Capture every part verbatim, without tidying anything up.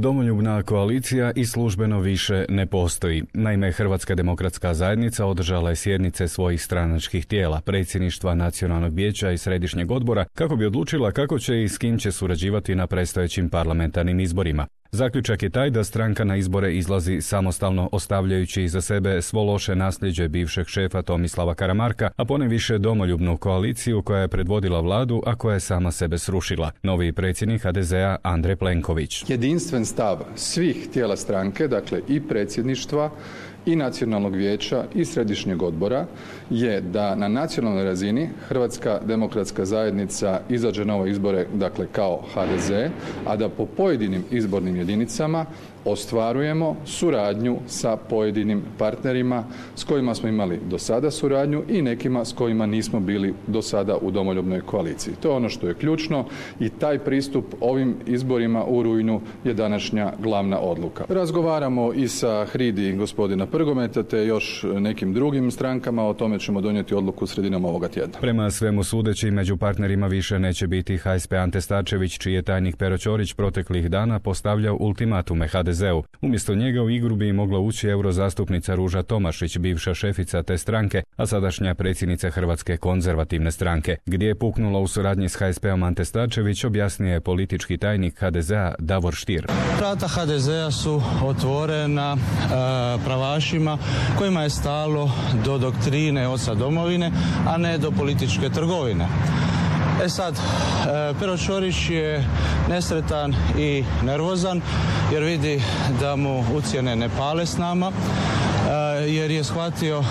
Domoljubna koalicija i službeno više ne postoji. Naime, Hrvatska demokratska zajednica održala je sjednice svojih stranačkih tijela, predsjedništva Nacionalnog vijeća i Središnjeg odbora, kako bi odlučila kako će i s kim će surađivati na predstojećim parlamentarnim izborima. Zaključak je taj da stranka na izbore izlazi samostalno, ostavljajući iza sebe svo loše nasljeđe bivšeg šefa Tomislava Karamarka, a ponajviše domoljubnu koaliciju koja je predvodila vladu, a koja je sama sebe srušila. Novi predsjednik ha de zea Andrej Plenković. Jedinstven stav svih tijela stranke, dakle i predsjedništva, i Nacionalnog vijeća i Središnjeg odbora je da na nacionalnoj razini Hrvatska demokratska zajednica izađe na ove izbore, dakle kao ha de ze, a da po pojedinim izbornim jedinicama ostvarujemo suradnju sa pojedinim partnerima s kojima smo imali do sada suradnju i nekima s kojima nismo bili do sada u domoljubnoj koaliciji. To je ono što je ključno i taj pristup ovim izborima u rujnu je današnja glavna odluka. Razgovaramo i sa Hridi gospodina Prgometa te još nekim drugim strankama, o tome ćemo donijeti odluku sredinom ovoga tjedna. Prema svemu sudeći, među partnerima više neće biti ha es pe Ante Starčević, čiji je tajnik Pero Ćorić proteklih dana postavljao ultimatume ha de zeu. Umjesto njega u igru bi mogla ući eurozastupnica Ruža Tomašić, bivša šefica te stranke, a sadašnja predsjednica Hrvatske konzervativne stranke. Gdje je puknulo u suradnji s ha es peom Ante Starčević, objasnio je politički tajnik ha de zea Davor Stier. Vrata ha de zea su otvorena e, pravašima kojima je stalo do doktrine oca domovine, a ne do političke trgovine. E sad, Pero Ćorić je nesretan i nervozan jer vidi da mu ucjene ne pale s nama, jer je shvatio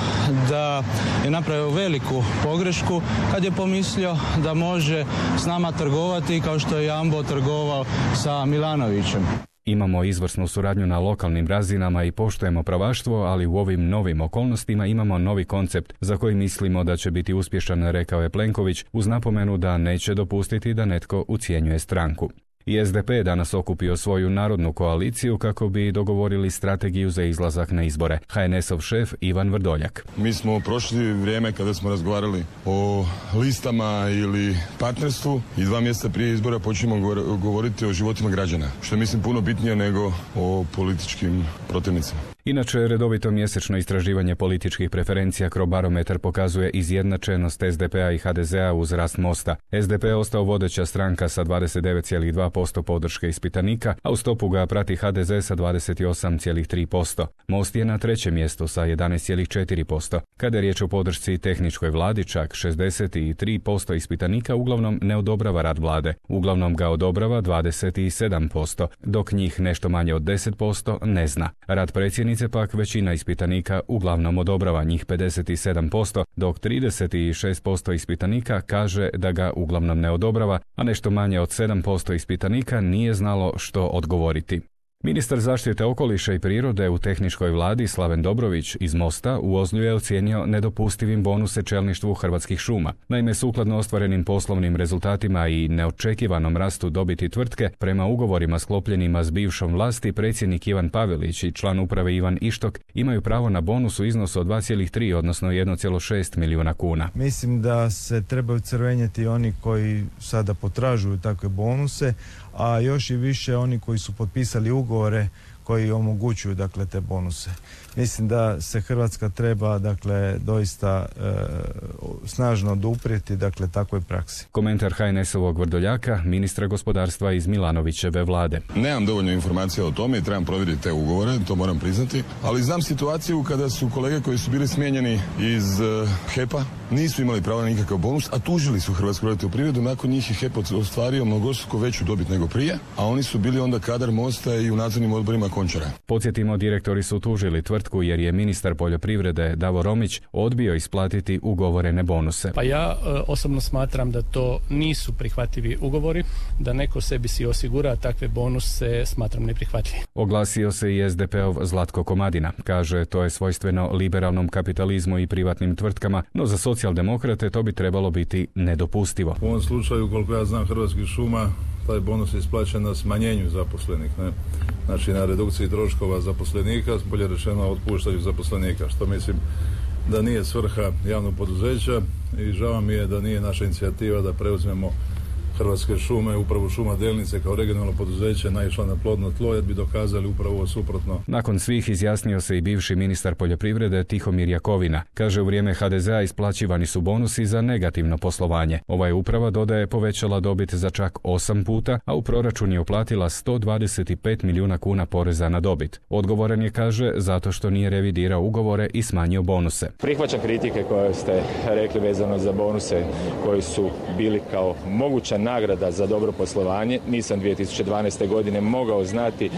da je napravio veliku pogrešku kad je pomislio da može s nama trgovati kao što je Jambo trgovao sa Milanovićem. Imamo izvrsnu suradnju na lokalnim razinama i poštujemo pravaštvo, ali u ovim novim okolnostima imamo novi koncept za koji mislimo da će biti uspješan, rekao je Plenković, uz napomenu da neće dopustiti da netko ucjenjuje stranku. I es de pe je danas okupio svoju narodnu koaliciju kako bi dogovorili strategiju za izlazak na izbore. ha en esov šef Ivan Vrdoljak. Mi smo prošli vrijeme kada smo razgovarali o listama ili partnerstvu i dva mjeseca prije izbora počnemo govoriti o životima građana, što je mislim puno bitnije nego o političkim protivnicima. Inače, redovito mjesečno istraživanje političkih preferencija Crobarometar pokazuje izjednačenost es de pea i ha de zea uz rast Mosta. es de pe je ostao vodeća stranka sa dvadeset devet zarez dva posto podrške ispitanika, a u stopu ga prati ha de ze sa dvadeset osam zarez tri posto. Most je na trećem mjestu sa jedanaest zarez četiri posto. Kada je riječ o podršci tehničkoj vladi, čak šezdeset tri posto ispitanika uglavnom ne odobrava rad vlade. Uglavnom ga odobrava dvadeset sedam posto, dok njih nešto manje od deset posto ne zna. Rad predsjednice pak većina ispitanika uglavnom odobrava, njih pedeset sedam posto, dok trideset šest posto ispitanika kaže da ga uglavnom ne odobrava, a nešto manje od sedam posto ispitanika nije znalo što odgovoriti. Ministar zaštite okoliša i prirode u tehničkoj vladi Slaven Dobrović iz Mosta u Ozlju je ocijenio nedopustivim bonuse čelništvu Hrvatskih šuma. Naime, sukladno ostvarenim poslovnim rezultatima i neočekivanom rastu dobiti tvrtke, prema ugovorima sklopljenima s bivšom vlasti, predsjednik Ivan Pavelić i član uprave Ivan Ištok imaju pravo na bonus u iznosu od dva zarez tri, odnosno jedan zarez šest milijuna kuna. Mislim da se trebaju crvenjeti oni koji sada potražuju takve bonuse, a još i više oni koji su potpisali ugovore koji omogućuju dakle te bonuse. Mislim da se Hrvatska treba dakle doista e, snažno oduprijeti dakle takvoj praksi. Komentar ha en esovog Vrdoljaka, ministra gospodarstva iz Milanovićeve vlade. Nemam dovoljno informacija o tome i trebam provjeriti te ugovore, to moram priznati, ali znam situaciju kada su kolege koji su bili smijenjeni iz uh, he pa nisu imali pravo na nikakav bonus, a tužili su Hrvatsku elektroprivredu, nakon njih je he pa ostvario mnogostruko veću dobit nego prije, a oni su bili onda kadar Mosta i u nadzornim odborima Končara. Podsjetimo, direktori su tužili tvrtku jer je ministar poljoprivrede Davor Romić odbio isplatiti ugovorene bonuse. Pa ja e, osobno smatram da to nisu prihvatljivi ugovori, da neko sebi si osigura takve bonuse, smatram neprihvatljivim. Oglasio se i es de peov Zlatko Komadina. Kaže, to je svojstveno liberalnom kapitalizmu i privatnim tvrtkama, no za socijaldemokrate to bi trebalo biti nedopustivo. U ovom slučaju, koliko ja znam Hrvatskih šuma, taj bonus je isplaćen na smanjenju zaposlenih, ne? Znači na redukciji troškova zaposlenika, bolje rečeno otpuštaju zaposlenika, što mislim da nije svrha javnog poduzeća i žao mi je da nije naša inicijativa da preuzmemo Hrvatske šume, upravo Šuma Delnice kao regionalno poduzeće naišla na plodno tlo, jer bi dokazali upravo ovo suprotno. Nakon svih izjasnio se i bivši ministar poljoprivrede Tihomir Jakovina. Kaže, u vrijeme ha de zea isplaćivani su bonusi za negativno poslovanje. Ova je uprava, dodaje, povećala dobit za čak osam puta, a u proračun je uplatila sto dvadeset pet milijuna kuna poreza na dobit. Odgovoran je, kaže, zato što nije revidirao ugovore i smanjio bonuse. Prihvaćam kritike koje ste rekli vezano za bonuse koji su bili kao moguća nagrada za dobro poslovanje. Nisam dvije tisuće dvanaeste. godine mogao znati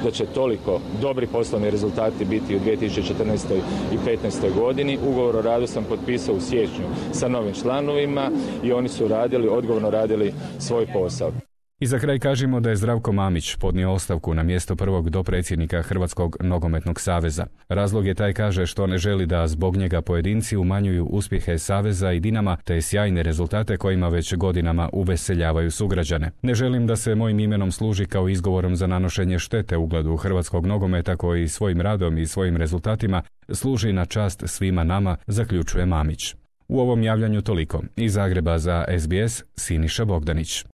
da će toliko dobri poslovni rezultati biti u dvije tisuće četrnaestoj. i petnaestoj. godini. Ugovor o radu sam potpisao u siječnju sa novim članovima i oni su radili, odgovorno radili svoj posao. I za kraj kažemo da je Zdravko Mamić podnio ostavku na mjesto prvog dopredsjednika Hrvatskog nogometnog saveza. Razlog je taj, kaže, što ne želi da zbog njega pojedinci umanjuju uspjehe saveza i Dinama te sjajne rezultate kojima već godinama uveseljavaju sugrađane. Ne želim da se mojim imenom služi kao izgovorom za nanošenje štete ugledu hrvatskog nogometa koji svojim radom i svojim rezultatima služi na čast svima nama, zaključuje Mamić. U ovom javljanju toliko. Iz Zagreba za es be es, Siniša Bogdanić.